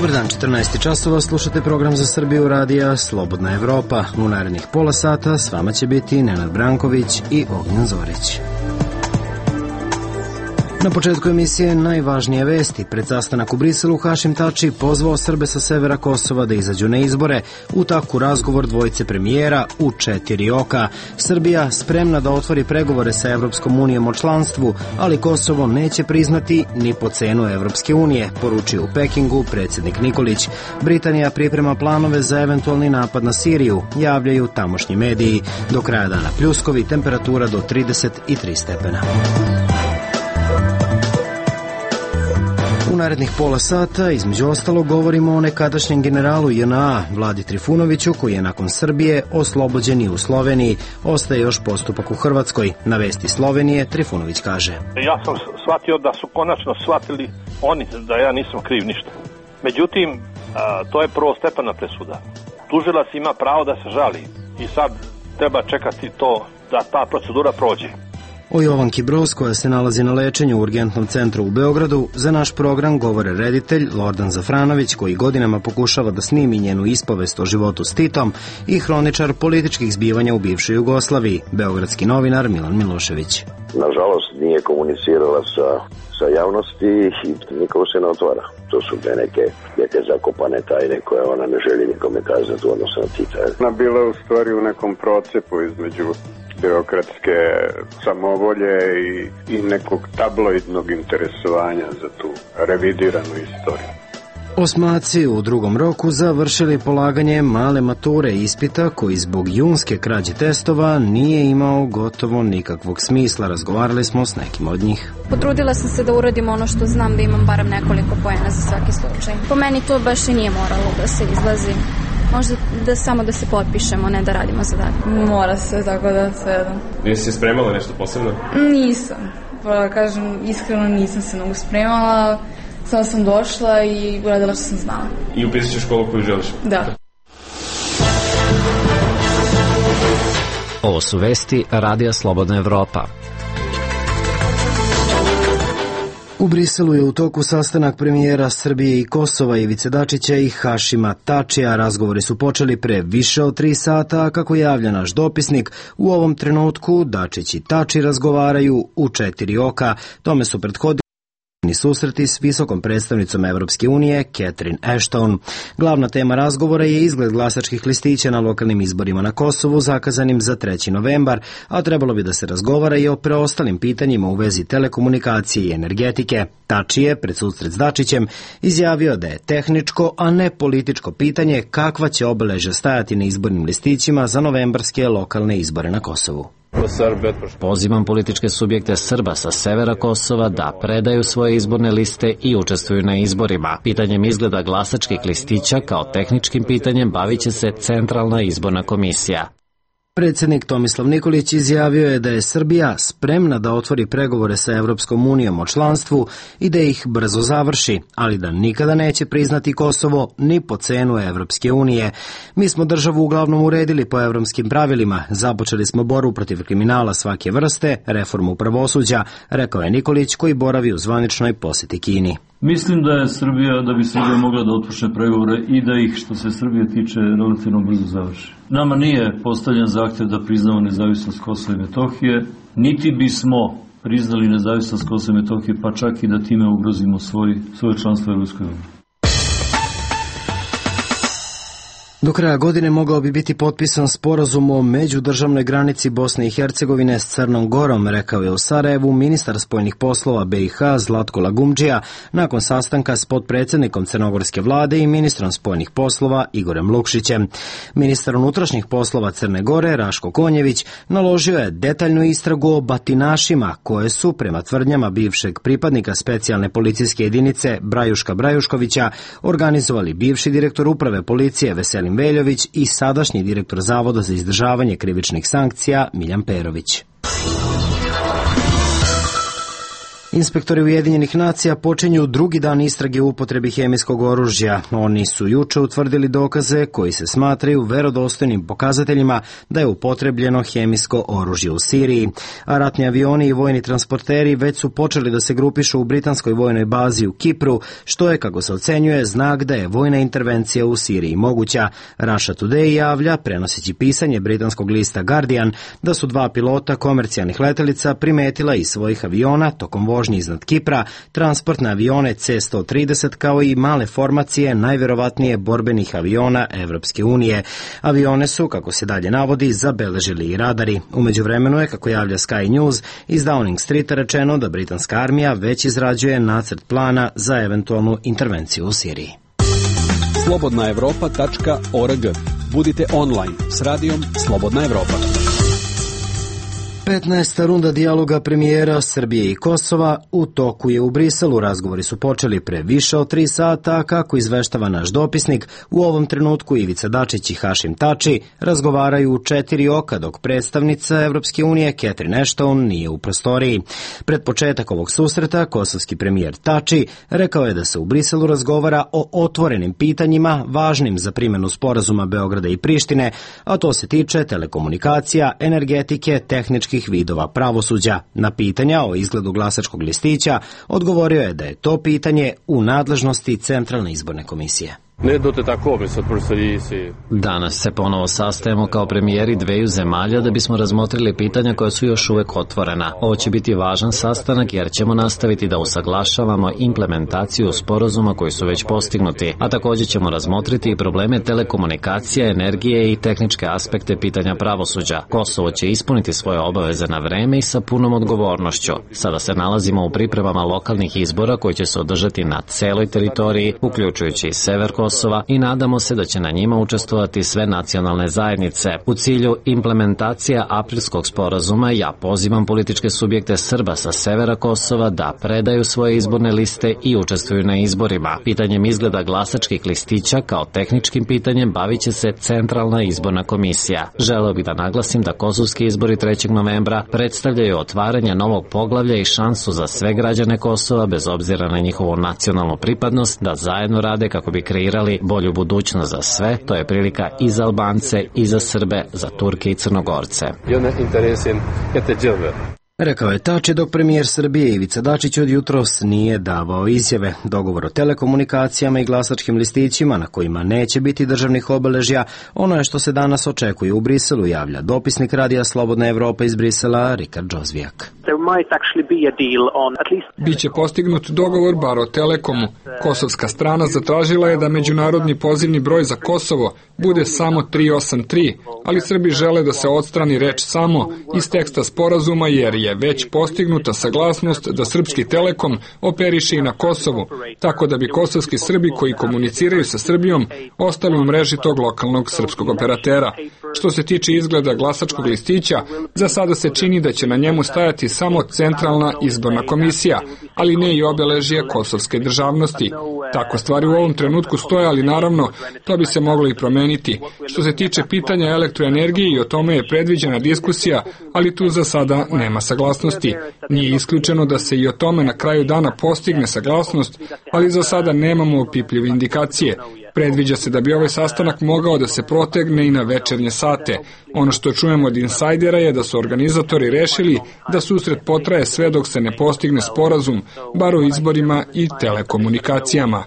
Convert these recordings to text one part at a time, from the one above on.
Dobar dan, 14 časova, slušate program za Srbiju radija Slobodna Evropa. U narednih pola sata s vama će biti Nenad Branković i Ognjen Zorić. Na početku emisije najvažnije vesti. Pred sastanak u Briselu Hašim Tači pozvao Srbe sa severa Kosova da izađu na izbore. U taku razgovor dvojice premijera u 4 oka. Srbija spremna da otvori pregovore sa Evropskom unijom o članstvu, ali Kosovo neće priznati ni po cenu Evropske unije, poručio u Pekingu predsjednik Nikolić. Britanija priprema planove za eventualni napad na Siriju, javljaju tamošnji mediji. Do kraja dana pljuskovi, temperatura do 33 stepena. U narednih pola sata, između ostalog, govorimo o nekadašnjem generalu JNA Vladi Trifunoviću, koji je nakon Srbije oslobođen i u Sloveniji. Ostaje još postupak u Hrvatskoj. Na vesti Slovenije Trifunović kaže: Ja sam shvatio da su konačno shvatili oni da ja nisam kriv ništa. Međutim, to je prvostepena presuda. Tužilac ima pravo da se žali i sad treba čekati to da ta procedura prođe. O Jovanki Broz, koja se nalazi na lečenju u urgentnom centru u Beogradu, za naš program govore reditelj Lordan Zafranović, koji godinama pokušava da snimi njenu ispovest o životu s Titom, i hroničar političkih zbivanja u bivšoj Jugoslaviji, beogradski novinar Milan Milošević. Nažalost, nije komunicirala sa javnosti i nikogo se ne otvara. To su neke zakopane tajne koje ona ne želi nikome kazati u odnosu na Tita. Ona bila u stvari u nekom procepu između birokratske samovolje i nekog tabloidnog interesovanja za tu revidiranu istoriju. Osmaci u drugom roku završili polaganje male mature ispita koji zbog junske krađe testova nije imao gotovo nikakvog smisla. Razgovarali smo s nekim od njih. Potrudila sam se da uradim ono što znam, da imam barem nekoliko poena za svaki slučaj. Po meni to baš i nije moralo da se izlazi. Možda samo da se potpišemo, ne da radimo zadatak. Mora se, tako da sve jedno. Nisi se spremala nešto posebno? Nisam. Pa kažem, iskreno nisam se mnogo spremala. Samo sam došla i uradila što sam znala. I upisat ćeš školu koju želiš? Da. Ovo su vesti Radija Slobodna Evropa. U Briselu je u toku sastanak premijera Srbije i Kosova Ivice Dačića i Hašima Tačija. Razgovori su počeli pre više od 3 sata, a kako javlja naš dopisnik, u ovom trenutku Dačić i Tači razgovaraju u 4 oka. Tome su prethodili susreti s visokom predstavnicom Evropske unije Catherine Ashton. Glavna tema razgovora je izgled glasačkih listića na lokalnim izborima na Kosovu zakazanim za 3. novembar, a trebalo bi da se razgovara i o preostalim pitanjima u vezi telekomunikacije i energetike. Tači je pred susret s Dačićem izjavio da je tehničko, a ne političko pitanje kakva će obeležja stajati na izbornim listićima za novembarske lokalne izbore na Kosovu. Pozivam političke subjekte Srba sa severa Kosova da predaju svoje izborne liste i učestvuju na izborima. Pitanjem izgleda glasačkih listića kao tehničkim pitanjem bavit će se Centralna izborna komisija. Predsjednik Tomislav Nikolić izjavio je da je Srbija spremna da otvori pregovore sa Evropskom unijom o članstvu i da ih brzo završi, ali da nikada neće priznati Kosovo ni po cenu Evropske unije. Mi smo državu uglavnom uredili po evropskim pravilima, započeli smo borbu protiv kriminala svake vrste, reformu pravosuđa, rekao je Nikolić koji boravi u zvaničnoj posjeti Kini. Mislim da bi Srbija mogla da otpočne pregovore i da ih, što se Srbije tiče, relativno brzo završi. Nama nije postavljen zahtjev da priznamo nezavisnost Kosova i Metohije, niti bismo priznali nezavisnost Kosova i Metohije, pa čak i da time ugrozimo svoje članstvo u Evropskoj uniji. Do kraja godine mogao bi biti potpisan sporazum o međudržavnoj granici Bosne i Hercegovine s Crnom Gorom, rekao je u Sarajevu ministar spoljnih poslova BiH Zlatko Lagumdžija nakon sastanka s potpredsjednikom crnogorske vlade i ministrom spoljnih poslova Igorem Lukšićem. Ministar unutrašnjih poslova Crne Gore Raško Konjević naložio je detaljnu istragu o batinašima koje su, prema tvrdnjama bivšeg pripadnika specijalne policijske jedinice Brajuška Brajuškovića, organizovali bivši direktor uprave policije Veselin Veljović i sadašnji direktor Zavoda za izdržavanje krivičnih sankcija Miljan Perović. Inspektori Ujedinjenih nacija počinju drugi dan istrage u upotrebi hemijskog oružja. Oni su juče utvrdili dokaze koji se smatraju verodostojnim pokazateljima da je upotrebljeno hemijsko oružje u Siriji. A ratni avioni i vojni transporteri već su počeli da se grupišu u britanskoj vojnoj bazi u Kipru, što je, kako se ocenjuje, znak da je vojna intervencija u Siriji moguća. Russia Today javlja, prenoseći pisanje britanskog lista Guardian, da su dva pilota komercijalnih letelica primetila iz svojih aviona tokom vožnje iznad Kipra transportne avione C-130 kao i male formacije najverovatnije borbenih aviona Evropske unije. Avione su, kako se dalje navodi, zabeležili i radari. U međuvremenu je, kako javlja Sky News, iz Downing Streeta rečeno da britanska armija već izrađuje nacrt plana za eventualnu intervenciju u Siriji. slobodnaevropa.org. Budite online s radijom Slobodna Evropa. 15. runda dijaloga premijera Srbije i Kosova u toku je u Briselu. Razgovori su počeli pre više od 3 sata, a kako izveštava naš dopisnik, u ovom trenutku Ivica Dačić i Hašim Tači razgovaraju u 4 oka, dok predstavnica Evropske unije Catherine Ashton nije u prostoriji. Pred početak ovog susreta, kosovski premijer Tači rekao je da se u Briselu razgovara o otvorenim pitanjima važnim za primenu sporazuma Beograda i Prištine, a to se tiče telekomunikacija, energetike, tehničkih vidova pravosuđa. Na pitanja o izgledu glasačkog listića odgovorio je da je to pitanje u nadležnosti Centralne izborne komisije. Danas se ponovo sastajemo kao premijeri dveju zemalja da bismo razmotrili pitanja koja su još uvek otvorena. Ovo će biti važan sastanak jer ćemo nastaviti da usaglašavamo implementaciju sporazuma koji su već postignuti, a također ćemo razmotriti i probleme telekomunikacija, energije i tehničke aspekte pitanja pravosuđa. Kosovo će ispuniti svoje obaveze na vreme i sa punom odgovornošću. Sada se nalazimo u pripremama lokalnih izbora koji će se održati na celoj teritoriji, uključujući i sever Kosova, i nadamo se da će na njima učestvovati sve nacionalne zajednice. U cilju implementacija aprilskog sporazuma ja pozivam političke subjekte Srba sa severa Kosova da predaju svoje izborne liste i učestvuju na izborima. Pitanjem izgleda glasačkih listića kao tehničkim pitanjem bavit će se Centralna izborna komisija. Želeo bih da naglasim da kosovski izbori 3. novembra predstavljaju otvaranje novog poglavlja i šansu za sve građane Kosova, bez obzira na njihovu nacionalnu pripadnost, da zajedno rade kako bi kreirali bolju budućnost za sve. To je prilika i za Albance, i za Srbe, za Turke i Crnogorce. Rekao je Tači, dok premijer Srbije Ivica Dačić od jutros nije davao izjave. Dogovor o telekomunikacijama i glasačkim listićima na kojima neće biti državnih obeležja, ono je što se danas očekuje u Briselu, javlja dopisnik Radija Slobodna Evropa iz Brisela Rikard Džozvijak. Biće postignut dogovor bar o Telekomu. Kosovska strana zatražila je da međunarodni pozivni broj za Kosovo bude samo 383, ali Srbi žele da se odstrani reč samo iz teksta sporazuma jer je već postignuta saglasnost da srpski Telekom operiše i na Kosovu, tako da bi kosovski Srbi koji komuniciraju sa Srbijom ostali u mreži tog lokalnog srpskog operatera. Što se tiče izgleda glasačkog listića, za sada se čini da će na njemu stajati samo Centralna izborna komisija, ali ne i obeležje kosovske državnosti. Tako stvari u ovom trenutku stoje, ali naravno to bi se moglo i promeniti. Što se tiče pitanja elektroenergije, i o tome je predviđena diskusija, ali tu za sada nema saglasnosti. Nije isključeno da se i o tome na kraju dana postigne saglasnost, ali za sada nemamo opipljive indikacije. Predviđa se da bi ovaj sastanak mogao da se protegne i na večernje sate. Ono što čujemo od insajdera je da su organizatori rešili da susret potraje sve dok se ne postigne sporazum, bar o izborima i telekomunikacijama.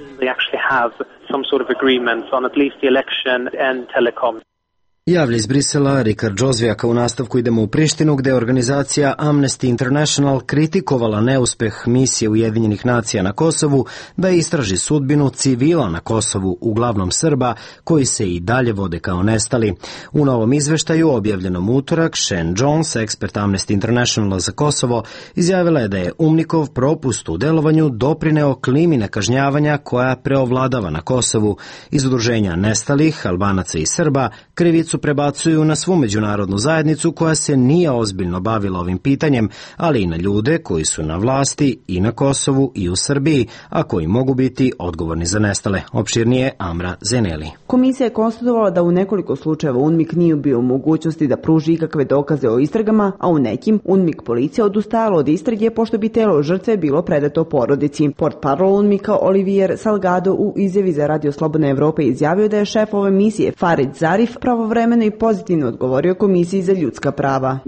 Javlja iz Brisela Rikard Džozvijaka. U nastavku idemo u Prištinu, gde je organizacija Amnesty International kritikovala neuspeh misije Ujedinjenih nacija na Kosovu da istraži sudbinu civila na Kosovu, uglavnom Srba, koji se i dalje vode kao nestali. U novom izveštaju, objavljenom utorak, Shane Jones, ekspert Amnesty Internationala za Kosovo, izjavila je da je UMNIKov propust u delovanju doprineo klimi nekažnjavanja koja preovladava na Kosovu. Iz udruženja nestalih, Albanaca i Srba, krivicu krivicu prebacuju na svu međunarodnu zajednicu koja se nije ozbiljno bavila ovim pitanjem, ali i na ljude koji su na vlasti i na Kosovu i u Srbiji, a koji mogu biti odgovorni za nestale. Opširnije Amra Zeneli. Komisija je konstatovala da u nekoliko slučajeva UNMIK nije bio u mogućnosti da pruži ikakve dokaze o istragama, a u nekim UNMIK policija odustajala od istrage pošto bi telo žrtve bilo predato porodici. Portparol UNMIK-a Olivier Salgado u izjavi za Radio Slobodna Evropa izjavio da je šef ove misije Farid Zarif pravovremeno i pozitivno odgovorio Komisiji za ljudska prava.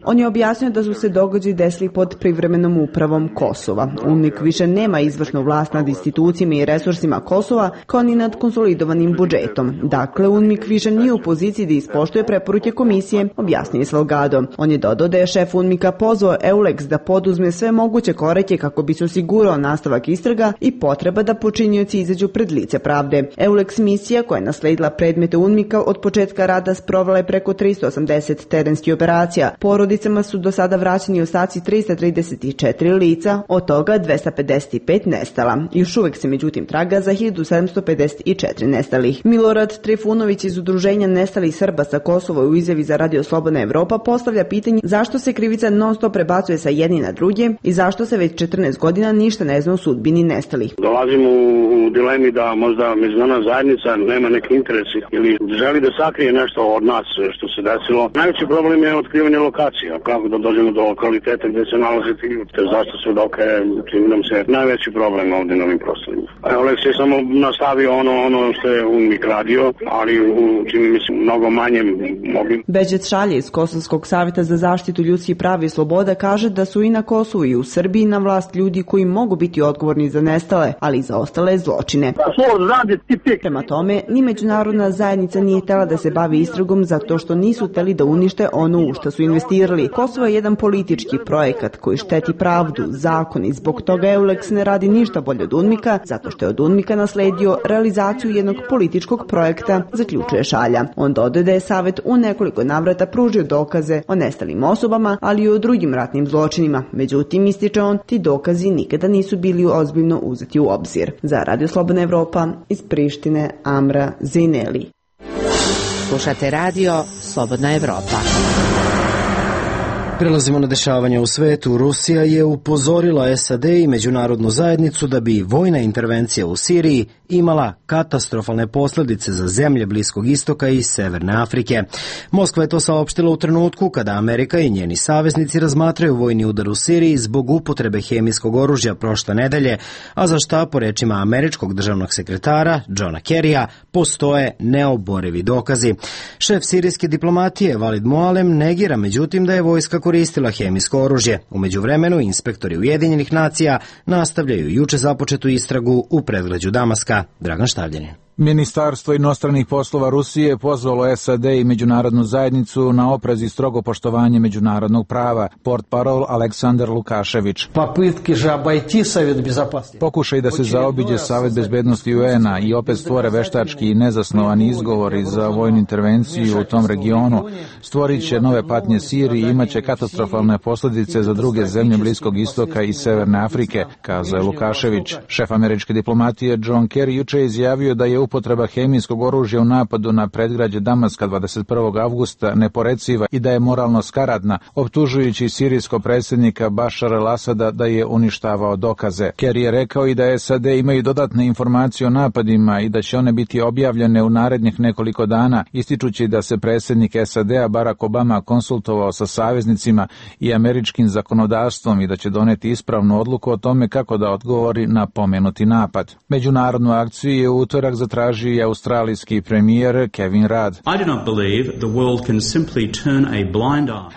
On je objasnio da su se događaji desili pod privremenom upravom Kosova. UNMIK više nema izvršnu vlast nad institucijama i resursima Kosova, kao ni nad konsolidovanim budžetom. Dakle, UNMIK više nije u poziciji da ispoštuje preporuke komisije, objasnio je Salgado. On je dodao da je šef UNMIK-a pozvao EULEX da poduzme sve moguće korake kako bi se osigurao nastavak istraga i potreba da počinioci izađu pred lice pravde. EULEX misija, koja je nasledila predmete UNMIK-a od početka rada, sprovela je preko 380 terenskih operacija. Porodicama su do sada vraćeni ostaci 334 lica, od toga 255 nestala. Još uvek se međutim traga za 1754 nestalih. Milorad Trifunović iz Udruženja nestalih Srba sa Kosova u izjavi za Radio Slobodna Evropa postavlja pitanje zašto se krivica non stop prebacuje sa jedni na druge i zašto se već 14 godina ništa ne zna o sudbini nestalih. Dolazimo u dilemi da možda međunarodna zajednica nema neki interesi ili želi da sakrije nešto od nas što se desilo. Najveći problem je otkrivanje lokacija, kako da dođemo do lokaliteta gdje se nalaze ti ljudi, zašto svedoke, čini nam se najveći problem ovdje na ovim prostorima. Olex je samo nastavio ono što je UNMIK radio, ali čini mi se mnogo manje mogli. Beđet Šalje iz Kosovskog savjeta za zaštitu ljudskih prava i sloboda kaže da su i na Kosovu i u Srbiji na vlast ljudi koji mogu biti odgovorni za nestale, ali i za ostale zločine. Prema tome, ni međunarodna zajednica nije htjela da se bavi istragom zato što nisu htjeli da unište ono u što su investirali. Kosovo je jedan politički projekat koji šteti pravdu, zakon i zbog toga EULEX ne radi ništa bolje od UNMIK-a, zato što je od UNMIK-a nasledio realizaciju jednog političkog projekta, zaključuje Šalja. On dodaje da je savjet u nekoliko navrata pružio dokaze o nestalim osobama, ali i o drugim ratnim zločinima. Međutim, ističe on, ti dokazi nikada nisu bili ozbiljno uzeti u obzir. Za Radio Slobodna Evropa iz Prištine, Amra Zineli. Slušate Radio Slobodna Evropa. Prelazimo na dešavanja u svetu. Rusija je upozorila SAD i međunarodnu zajednicu da bi vojna intervencija u Siriji imala katastrofalne posljedice za zemlje Bliskog istoka i Severne Afrike. Moskva je to saopštila u trenutku kada Amerika i njeni saveznici razmatraju vojni udar u Siriji zbog upotrebe hemijskog oružja prošle nedelje, a za šta, po rečima američkog državnog sekretara Johna Kerrya, postoje neoborivi dokazi. Šef sirijske diplomatije Walid Mualem negira međutim da je vojska koristila hemijsko oružje. U međuvremenu inspektori Ujedinjenih nacija nastavljaju juče započetu istragu u predgrađu Damaska. Dragan Štavljanin. Ministarstvo inostranih poslova Rusije pozvalo SAD i međunarodnu zajednicu na oprez i strogo poštovanje međunarodnog prava. Portparol Aleksandar Lukašević. Pokušaj da se zaobiđe Savet bezbednosti UN-a i opet stvore veštački i nezasnovani izgovori za vojnu intervenciju u tom regionu, stvorit će nove patnje Siriji i imaće katastrofalne posljedice za druge zemlje Bliskog istoka i Severne Afrike, kazao je Lukašević. Šef američke diplomatije John Kerry juče je izjavio da je upotreba hemijskog oružja u napadu na predgrađe Damaska 21. avgusta neporeciva i da je moralno skaradna, optužujući sirijskog predsjednika Bašara al-Asada da je uništavao dokaze. Kerry je rekao i da SAD imaju dodatne informacije o napadima i da će one biti objavljene u narednih nekoliko dana, ističući da se predsjednik SAD-a Barack Obama konsultovao sa saveznicima i američkim zakonodavstvom i da će doneti ispravnu odluku o tome kako da odgovori na pomenuti napad. Međunarodnu akciju je u utorak zatražio i australijski premijer Kevin Rudd.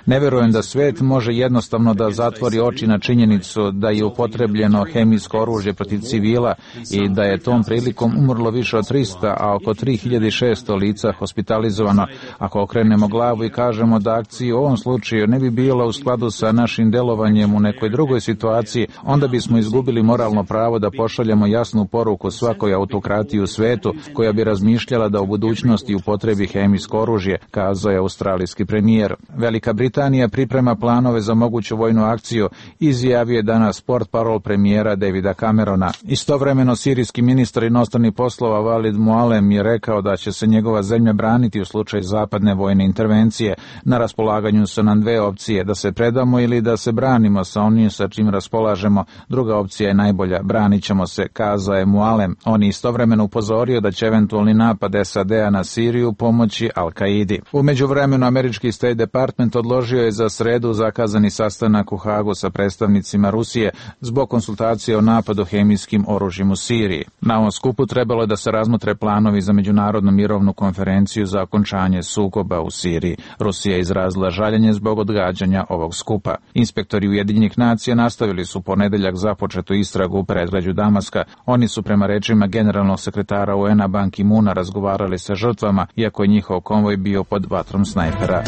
Ne verujem da svet može jednostavno da zatvori oči na činjenicu da je upotrebljeno hemijsko oružje protiv civila i da je tom prilikom umrlo više od 300, a oko 3600 lica hospitalizovano. Ako okrenemo glavu i kažemo da akcija u ovom slučaju ne bi bila u skladu sa našim delovanjem u nekoj drugoj situaciji, onda bismo izgubili moralno pravo da pošaljemo jasnu poruku svakoj autokratiji u svetu vrstu koja bi razmišljala da u budućnosti upotrebi hemijsko oružje, kazao je australijski premijer. Velika Britanija priprema planove za moguću vojnu akciju, izjavio je danas portparol premijera Davida Camerona. Istovremeno sirijski ministar inostranih poslova Walid Mualem je rekao da će se njegova zemlja braniti u slučaju zapadne vojne intervencije. Na raspolaganju su nam dve opcije, da se predamo ili da se branimo sa onim sa čim raspolažemo. Druga opcija je najbolja, branit ćemo se, kazao je Mualem. On je istovremeno upozorio da će eventualni napad SAD-a na Siriju pomoći Al-Kaidi. U međuvremenu američki State Department odložio je za sredu zakazani sastanak u Hagu sa predstavnicima Rusije zbog konsultacije o napadu hemijskim oružjem u Siriji. Na ovom skupu trebalo je da se razmotre planovi za međunarodnu mirovnu konferenciju za okončanje sukoba u Siriji. Rusija je izrazila žaljenje zbog odgađanja ovog skupa. Inspektori Ujedinjenih nacija nastavili su ponedeljak započetu istragu u predgrađu Damaska. Oni su prema rečima generalnog sekretara UN-a Ban Ki-moona razgovarali sa žrtvama, iako je njihov konvoj bio pod vatrom snajpera.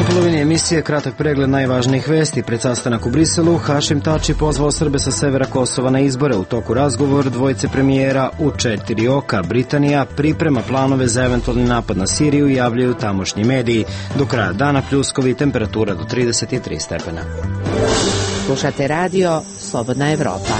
U polovini emisije kratak pregled najvažnijih vesti. Pred sastanak u Briselu Hašim Tači pozvao Srbe sa severa Kosova na izbore. U toku razgovor dvojice premijera u 4 oka. Britanija priprema planove za eventualni napad na Siriju, javljaju tamošnji mediji. Do kraja dana pljuskovi, temperatura do 33 stepena. Slušate radio Slobodna Evropa.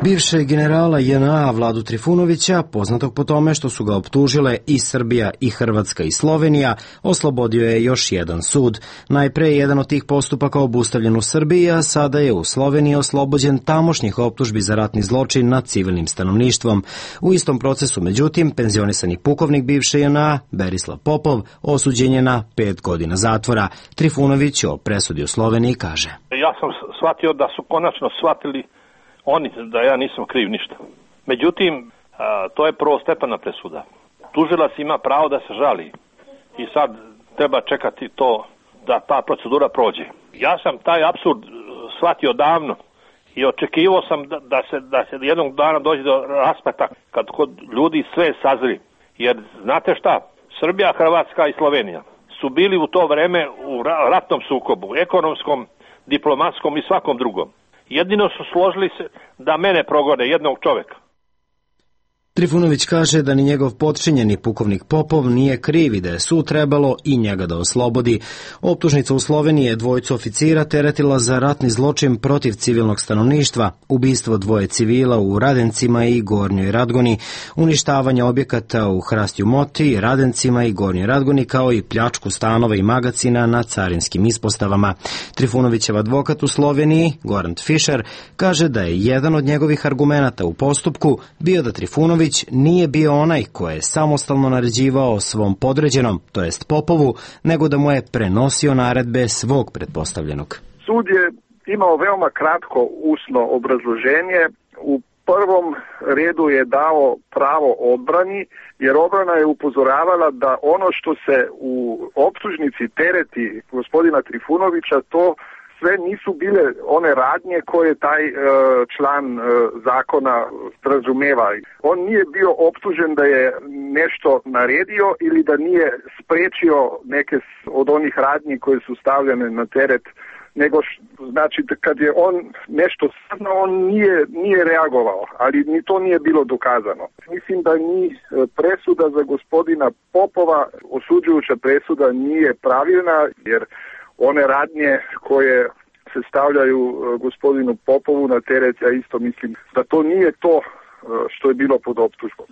Bivšeg generala JNA Vladu Trifunovića, poznatog po tome što su ga optužile i Srbija i Hrvatska i Slovenija, oslobodio je još jedan sud. Najpre je jedan od tih postupaka obustavljen u Srbiji, a sada je u Sloveniji oslobođen tamošnjih optužbi za ratni zločin nad civilnim stanovništvom. U istom procesu, međutim, penzionisani pukovnik bivše JNA, Berislav Popov, osuđen je na 5 godina zatvora. Trifunović o presudi u Sloveniji kaže: Ja sam shvatio da su konačno shvatili oni da ja nisam kriv ništa. Međutim, to je prvostepena presuda. Tužilac ima pravo da se žali i sad treba čekati to da ta procedura prođe. Ja sam taj apsurd shvatio davno i očekivao sam da se jednog dana dođe do raspleta kad kod ljudi sve sazri. Jer znate šta, Srbija, Hrvatska i Slovenija su bili u to vreme u ratnom sukobu, ekonomskom, diplomatskom i svakom drugom. Jedino su složili se da mene progone, jednog čoveka. Trifunović kaže da ni njegov potčinjeni pukovnik Popov nije kriv i da je sud trebalo i njega da oslobodi. Optužnica u Sloveniji je dvojicu oficira teretila za ratni zločin protiv civilnog stanovništva, ubistvo dvoje civila u Radencima i Gornjoj Radgoni, uništavanje objekata u Hrastju Moti, Radencima i Gornjoj Radgoni, kao i pljačku stanova i magacina na carinskim ispostavama. Trifunovićev advokat u Sloveniji, Goran Fischer, kaže da je jedan od njegovih argumenata u postupku bio da Trifunović nije bio onaj ko je samostalno naređivao svom podređenom, to jest Popovu, nego da mu je prenosio naredbe svog pretpostavljenog. Sud je imao veoma kratko usno obrazloženje. U prvom redu je dao pravo odbrani, jer odbrana je upozoravala da ono što se u optužnici tereti gospodina Trifunovića, to sve nisu bile one radnje koje taj član zakona razumeva. On nije bio optužen da je nešto naredio ili da nije sprečio neke od onih radnji koje su stavljene na teret, nego znači kad je on nešto saznao, on nije reagovao, ali ni to nije bilo dokazano. Mislim da ni presuda za gospodina Popova, osuđujuća presuda, nije pravilna, jer one radnje koje se stavljaju gospodinu Popovu na teret, ja isto mislim da to nije to što je bilo pod optužbom.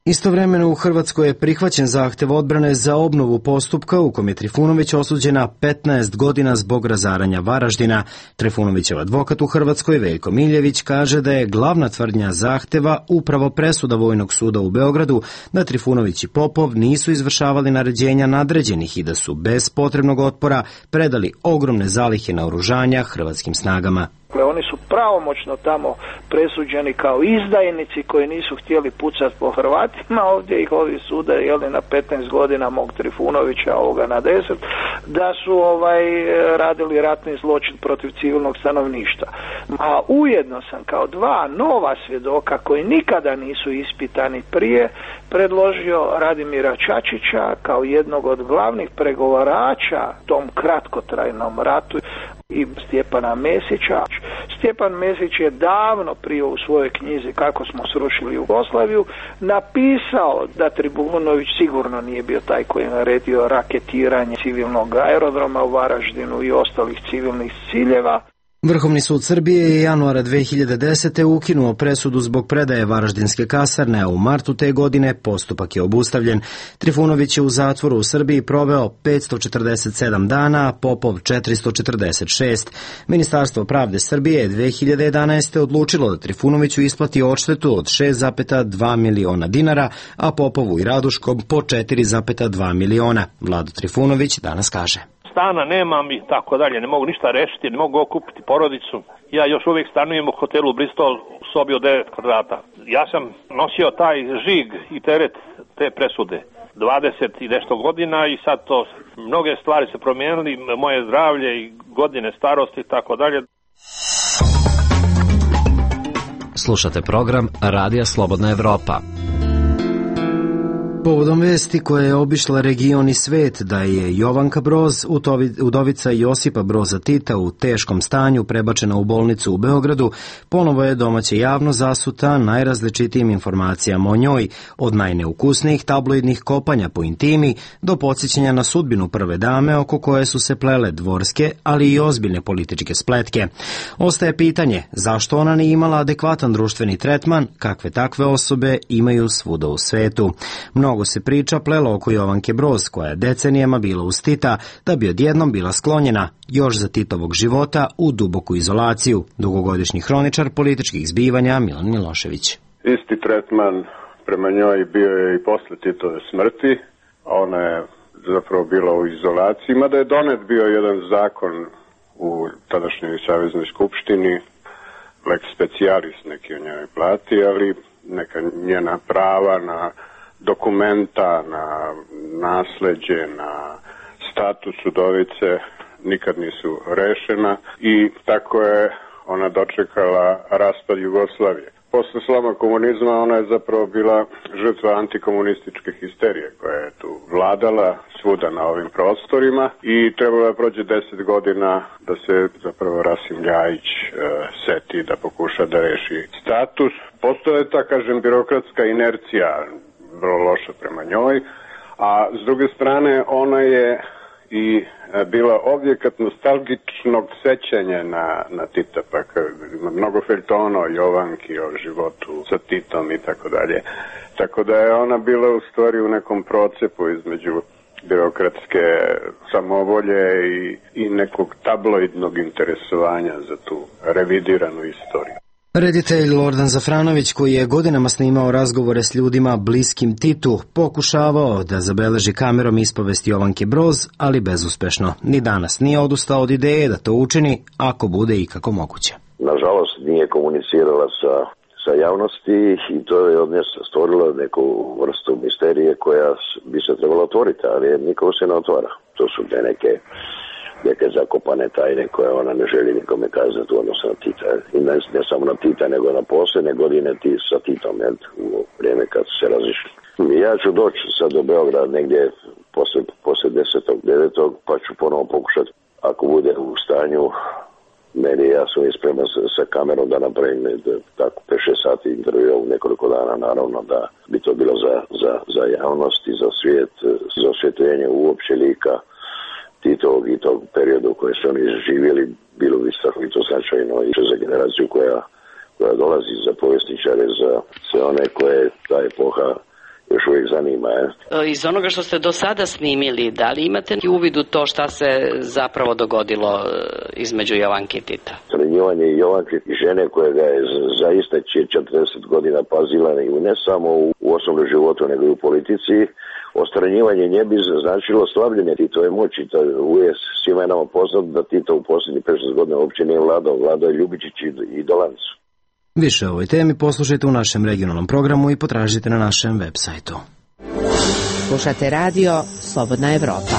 Istovremeno u Hrvatskoj je prihvaćen zahtev odbrane za obnovu postupka u kom je Trifunović osuđena 15 godina zbog razaranja Varaždina. Trifunovićev advokat u Hrvatskoj, Veljko Miljević, kaže da je glavna tvrdnja zahteva upravo presuda Vojnog suda u Beogradu da Trifunović i Popov nisu izvršavali naređenja nadređenih i da su bez potrebnog otpora predali ogromne zalihe naoružanja hrvatskim snagama. Oni su pravomoćno tamo presuđeni kao izdajnici koji nisu htjeli pucati po Hrvatima, ovdje ih ovi sude na 15 godina, mog Trifunovića, ovoga na 10, da su radili ratni zločin protiv civilnog stanovništva. A ujedno sam kao dva nova svjedoka koji nikada nisu ispitani prije predložio Radimira Čačića kao jednog od glavnih pregovarača tom kratkotrajnom ratu i Stjepana Mesića. Stjepan Mesić je davno prije u svojoj knjizi Kako smo srušili Jugoslaviju napisao da Tribunović sigurno nije bio taj koji je naredio raketiranje civilnog aerodroma u Varaždinu i ostalih civilnih ciljeva. Vrhovni sud Srbije je januara 2010. ukinuo presudu zbog predaje Varaždinske kasarne, a u martu te godine postupak je obustavljen. Trifunović je u zatvoru u Srbiji proveo 547 dana, a Popov 446. Ministarstvo pravde Srbije je 2011. odlučilo da Trifunoviću isplati odštetu od 6,2 miliona dinara, a Popovu i Raduškom po 4,2 miliona. Vlado Trifunović danas kaže: Stana nemam i tako dalje, ne mogu ništa rešiti, ne mogu okupiti porodicu. Ja još uvijek stanujem u hotelu Bristol u sobi od 9 kvadrata. Ja sam nosio taj žig i teret te presude 20 i nešto godina i sad to, mnoge stvari se promijenili, moje zdravlje i godine starosti i tako dalje. Slušate program Radija Slobodna Evropa. Povodom vesti koja je obišla region i svet da je Jovanka Broz, udovica Josipa Broza Tita, u teškom stanju prebačena u bolnicu u Beogradu, ponovo je domaća javnost zasuta najrazličitijim informacijama o njoj, od najneukusnijih tabloidnih kopanja po intimi do podsjećanja na sudbinu prve dame oko koje su se plele dvorske, ali i ozbiljne političke spletke. Ostaje pitanje zašto ona nije imala adekvatan društveni tretman, kakve takve osobe imaju svuda u svetu. Mnogo se priča plelo oko Jovanke Broz, koja je decenijama bila uz Tita, da bi odjednom bila sklonjena, još za Titovog života, u duboku izolaciju. Dugogodišnji hroničar političkih zbivanja Milan Milošević. Isti tretman prema njoj bio je i posle Titove smrti. Ona je zapravo bila u izolaciji, mada je donet bio jedan zakon u tadašnjoj Saveznoj skupštini, lex specialis neki o njoj plati, ali neka njena prava na dokumenta, na nasleđe, na status udovice nikad nisu rešena i tako je ona dočekala raspad Jugoslavije. Posle sloma komunizma ona je zapravo bila žrtva antikomunističke histerije koja je tu vladala svuda na ovim prostorima i trebalo je prođe 10 godina da se zapravo Rasim Ljajić seti da pokuša da reši status. Postoje ta, kažem, birokratska inercija vrlo loša prema njoj, a s druge strane ona je i bila objekat nostalgičnog sećanja na Tita, pa ima mnogo feljtona o Jovanki, o životu sa Titom i tako dalje. Tako da je ona bila u stvari u nekom procepu između birokratske samovolje i nekog tabloidnog interesovanja za tu revidiranu istoriju. Reditelj Lordan Zafranović, koji je godinama snimao razgovore s ljudima bliskim Titu, pokušavao da zabeleži kamerom ispovest Jovanke Broz, ali bezuspešno. Ni danas nije odustao od ideje da to učini, ako bude ikako moguće. Nažalost, nije komunicirala sa javnosti i to je od nje stvorilo neku vrstu misterije koja bi se trebala otvoriti, ali niko se ne otvara. To su neke zakopane tajne koje ona ne želi nikome kazati u odnosu na Tita. I ne samo na Tita, nego na posljednje godine sa Titom, u vrijeme kad su se razišli. Ja ću doći sad do Beograda negdje posle 10.9. pa ću ponovo pokušati, ako bude u stanju, ja sam ispreman sa kamerom da napravim tako 5-6 sati intervjua u nekoliko dana, naravno da bi to bilo za javnost i za svijet, za osvjetljenje uopće lika Titovog i tog periodu koje su oni živjeli, bilo bi strahovito značajno i za generaciju koja dolazi, za povjesničare, za sve one koje ta epoha još uvijek zanima. Iz onoga što ste do sada snimili, da li imate uvid u to šta se zapravo dogodilo između Jovanke i Tita? Sranjivanje Jovanke i žene koja ga je zaista 40 godina pazila ne samo u osobnom životu, nego i u politici. Ostranjivanje nje bi značilo slabljenje Titove moći. To je svima nama poznat da Tito u posljednjih 5-6 godina uopće nije vladao je Ljubičić i Dolanc. Više o ovoj temi poslušajte u našem regionalnom programu i potražite na našem web sajtu. Slušate radio Slobodna Evropa.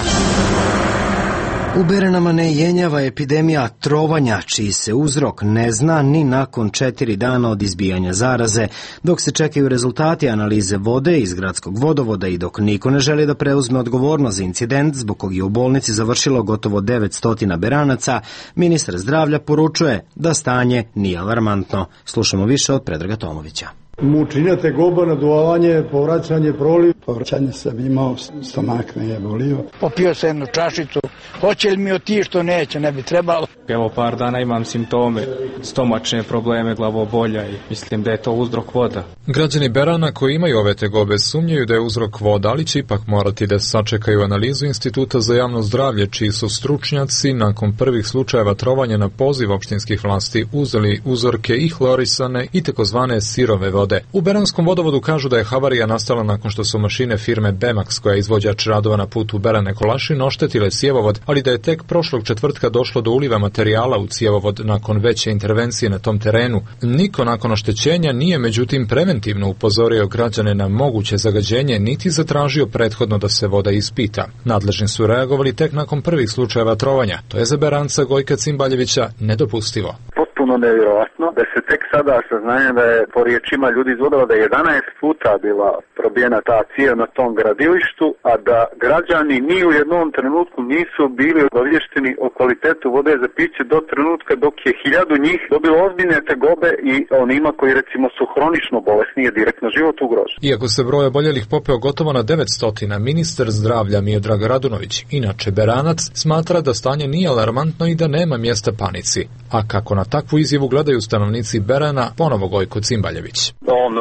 U Beranama ne jenjava epidemija trovanja, čiji se uzrok ne zna ni nakon 4 dana od izbijanja zaraze, dok se čekaju rezultati analize vode iz gradskog vodovoda i dok niko ne želi da preuzme odgovornost za incident zbog kog je u bolnici završilo gotovo 900 Beranaca, ministar zdravlja poručuje da stanje nije alarmantno. Slušamo više od Predraga Tomovića. Mučinja, tegoba, naduvavanje, povraćanje, proliv. Povraćanje sam imao, stomak me je bolio. Popio sam jednu čašicu. Hoće li mi otići što neće, ne bi trebalo. Evo par dana imam simptome, stomačne probleme, glavobolja i mislim da je to uzrok voda. Građani Berana koji imaju ove tegobe sumnjaju da je uzrok voda, ali će ipak morati da sačekaju analizu Instituta za javno zdravlje, čiji su stručnjaci nakon prvih slučajeva trovanja na poziv opštinskih vlasti uzeli uzorke i hlorisane i takozvane sirove vode. U Beranskom vodovodu kažu da je havarija nastala nakon što su mašine firme Bemax, koja je izvođač radova na putu Berane-Kolašin, oštetile cjevovod, ali da je tek prošlog četvrtka došlo do uliva materijala u cjevovod nakon veće intervencije na tom terenu. Niko nakon oštećenja nije međutim preventivno upozorio građane na moguće zagađenje, niti zatražio prethodno da se voda ispita. Nadležni su reagovali tek nakon prvih slučajeva trovanja. To je za Beranca Gojka Cimbaljevića nedopustivo. Potpuno nevjerojatno da se tek sada saznanje da je po riječima ljudi iz vodova da je 11 puta bila probijena ta cijev na tom gradilištu, a da građani ni u jednom trenutku nisu bili obavješteni o kvalitetu vode za piće do trenutka dok je 1000 njih dobilo ozbiljne tegobe i onima koji recimo su hronično bolesni je direktno život ugrožen. Iako se broj oboljelih popeo gotovo na 900, ministar zdravlja Miodrag Radunović, inače Beranac, smatra da stanje nije alarmantno i da nema mjesta panici. A kako na takvu izjavu gledaju stanovnici Berana, ponovo Gojko Cimbaljević. On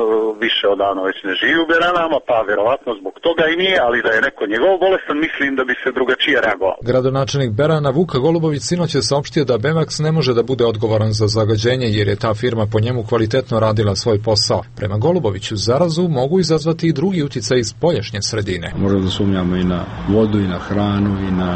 više odavno već ne živi u Beranama, pa vjerovatno zbog toga i nije, ali da je neko njegov bolestan, mislim da bi se drugačije reagovao. Gradonačelnik Berana Vuka Golubović sinoć je saopštio da Bemax ne može da bude odgovoran za zagađenje jer je ta firma po njemu kvalitetno radila svoj posao. Prema Goluboviću, zarazu mogu izazvati i drugi uticaj iz spoljašnje sredine. Možemo da sumnjamo i na vodu, i na hranu, i na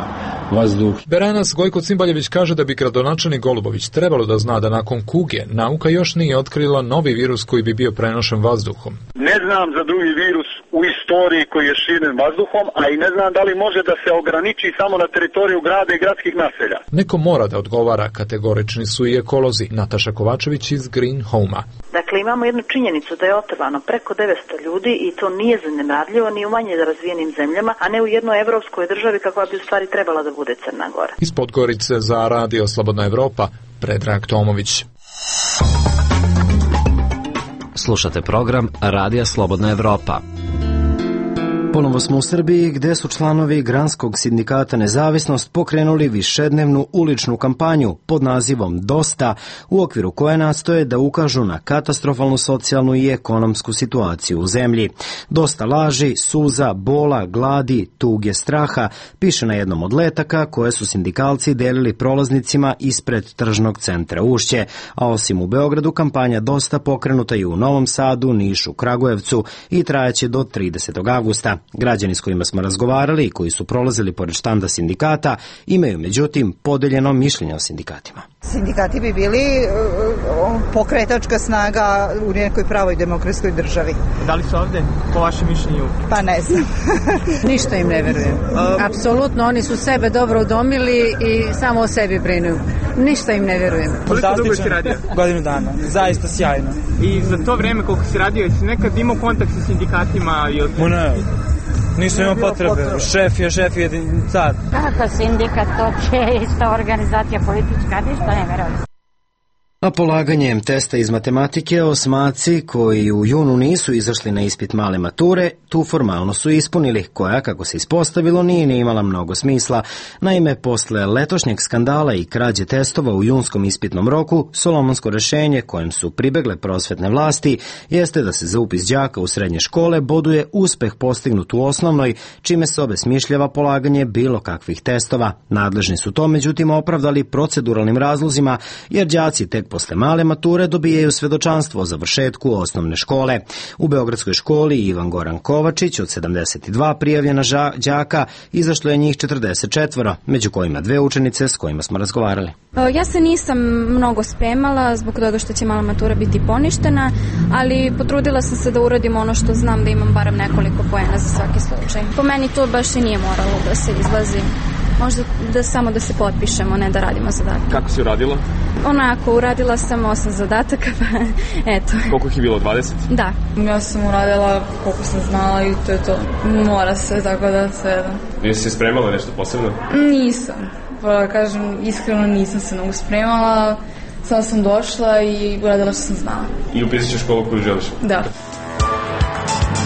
vazduh. Beranac Gojko Cimbaljević kaže da bi gradonačelnik Golubović trebalo da zna da nakon kuge nauka još nije otkrila novi virus koji bi bio prenošen vazduhom. Ne znam za drugi virus u istoriji koji je širen vazduhom, a i ne znam da li može da se ograniči samo na teritoriju grada i gradskih naselja. Neko mora da odgovara, kategorični su i ekolozi. Nataša Kovačević iz Green Home-a. Dakle, imamo jednu činjenicu da je otrovano preko 900 ljudi i to nije zanemarljivo ni u manje razvijenim zemljama, a ne u jednoj evropskoj državi kakva bi u stvari trebala da bude Crna Gora. Iz Podgorice za Radio Slobodna Evropa, Predrag Tomović. Slušate program Radija Slobodna Evropa. Ponovo smo u Srbiji gde su članovi Granskog sindikata Nezavisnost pokrenuli višednevnu uličnu kampanju pod nazivom Dosta, u okviru koje nastoje da ukažu na katastrofalnu socijalnu i ekonomsku situaciju u zemlji. Dosta laži, suza, bola, gladi, tuge, straha, piše na jednom od letaka koje su sindikalci delili prolaznicima ispred tržnog centra Ušće, a osim u Beogradu kampanja Dosta pokrenuta i u Novom Sadu, Nišu, Kragujevcu i trajaće do 30. avgusta. Građani s kojima smo razgovarali i koji su prolazili pored štanda sindikata imaju međutim podeljeno mišljenje o sindikatima. Sindikati bi bili pokretačka snaga u nekoj pravoj demokratskoj državi. Da li su ovde, po vašem mišljenju? Pa ne znam. Ništa im ne verujem. Apsolutno, oni su sebe dobro udomili i samo o sebi brinu. Ništa im ne verujem. Koliko dugo si radio? Godinu dana. Zaista sjajno. I za to vreme koliko si radio, si nekad imao kontakt sa sindikatima? Ne. Nisam imao potrebe. Šef je car. Kako sindikat, to je ista organizacija politička, ništa ne verujem. A polaganjem testa iz matematike osmaci koji u junu nisu izašli na ispit male mature, tu formalno su ispunili, koja, kako se ispostavilo, nije ni imala mnogo smisla. Naime, posle letošnjeg skandala i krađe testova u junskom ispitnom roku, solomonsko rešenje kojem su pribegle prosvetne vlasti jeste da se za upis đaka u srednje škole boduje uspeh postignut u osnovnoj, čime se obesmišljava polaganje bilo kakvih testova. Nadležni su to, međutim, opravdali proceduralnim razlozima, jer đaci tek posle male mature dobijaju svedočanstvo o završetku osnovne škole. U Beogradskoj školi Ivan Goran Kovačić od 72 prijavljena đaka izašlo je njih 44, među kojima 2 učenice s kojima smo razgovarali. Ja se nisam mnogo spremala zbog toga što će mala matura biti poništena, ali potrudila sam se da uradim ono što znam da imam barem nekoliko poena za svaki slučaj. Po meni to baš i nije moralo da se izlazi. Možda samo da se potpišemo, ne da radimo zadatke. Kako si uradila? Onako, uradila sam 8 zadataka, pa eto. Koliko ih je bilo, 20? Da. Ja sam uradila koliko sam znala i to je to. Mora se, tako da sve. Jesi se spremala nešto posebno? Nisam. Pa kažem, iskreno nisam se mnogo spremala. Samo sam došla i uradila što sam znala. I upisat ćeš školu koju želiš? Da.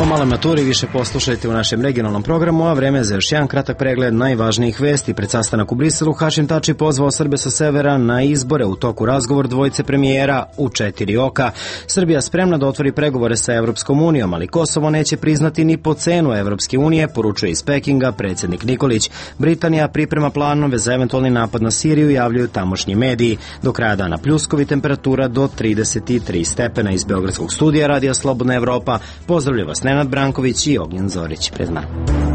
O maloj maturi više poslušajte u našem regionalnom programu, a vreme za još jedan kratak pregled najvažnijih vesti. Pred sastanak u Briselu Hašim Tači pozvao Srbe sa severa na izbore, u toku razgovor dvojice premijera u 4 oka. Srbija spremna da otvori pregovore sa Evropskom unijom, ali Kosovo neće priznati ni po cenu Evropske unije, poručuje iz Pekinga predsjednik Nikolić. Britanija priprema planove za eventualni napad na Siriju, javljaju tamošnji mediji. Do kraja dana pljuskovi, temperatura do 33 stepena. Iz Beogradskog studija Radija Slobodna Evropa pozdravlja vas Nenad Branković i Ognjen Zorić. Pred nama.